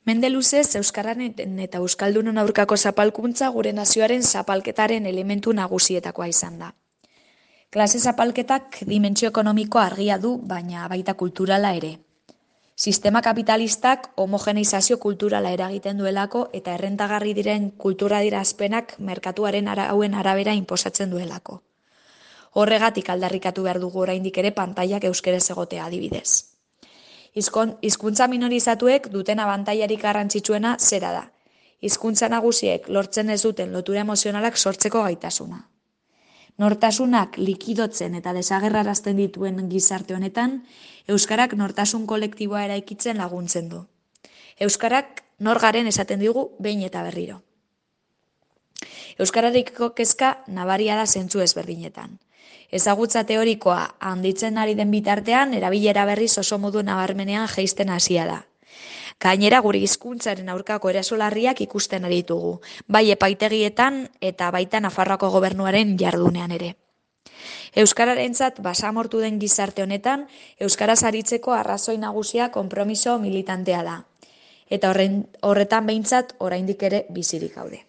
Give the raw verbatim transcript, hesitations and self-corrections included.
Mende luzez, euskararen eta euskaldunon aurkako zapalkuntza gure nazioaren zapalketaren elementu nagusietakoa izan da. Klase zapalketak dimentsio ekonomiko argia du, baina baita kulturala ere. Sistema kapitalistak homogeneizazio kulturala eragiten duelako eta errentagarri diren kultura dirazpenak merkatuaren arauen arabera inposatzen duelako. Horregatik aldarrikatu behar dugu oraindik ere pantailak euskeraz egotea adibidez. Hizkuntza minorizatuek duten abantailarik garrantzitsuena zera da. Hizkuntza nagusiek lortzen ez duten lotura emozionalak sortzeko gaitasuna. Nortasunak likidotzen eta desagerrarazten dituen gizarte honetan, euskarak nortasun kolektiboa eraikitzen laguntzen du. Euskarak nor garen esaten digu behin eta berriro. Euskararekiko kezka nabaria da zentzu ezberdinetan. Ezagutza teorikoa handitzen ari den bitartean, erabilera berriz oso modu nabarmenean jaisten hasia da. Gainera gure hizkuntzaren aurkako erasolarriak ikusten ari ditugu, bai epaitegietan eta baita Nafarroako gobernuaren jardunean ere. Euskararentzat basamortu den gizarte honetan, euskaraz aritzeko arrazoi nagusia konpromiso militantea da. Eta horretan behintzat oraindik ere bizirik gaude.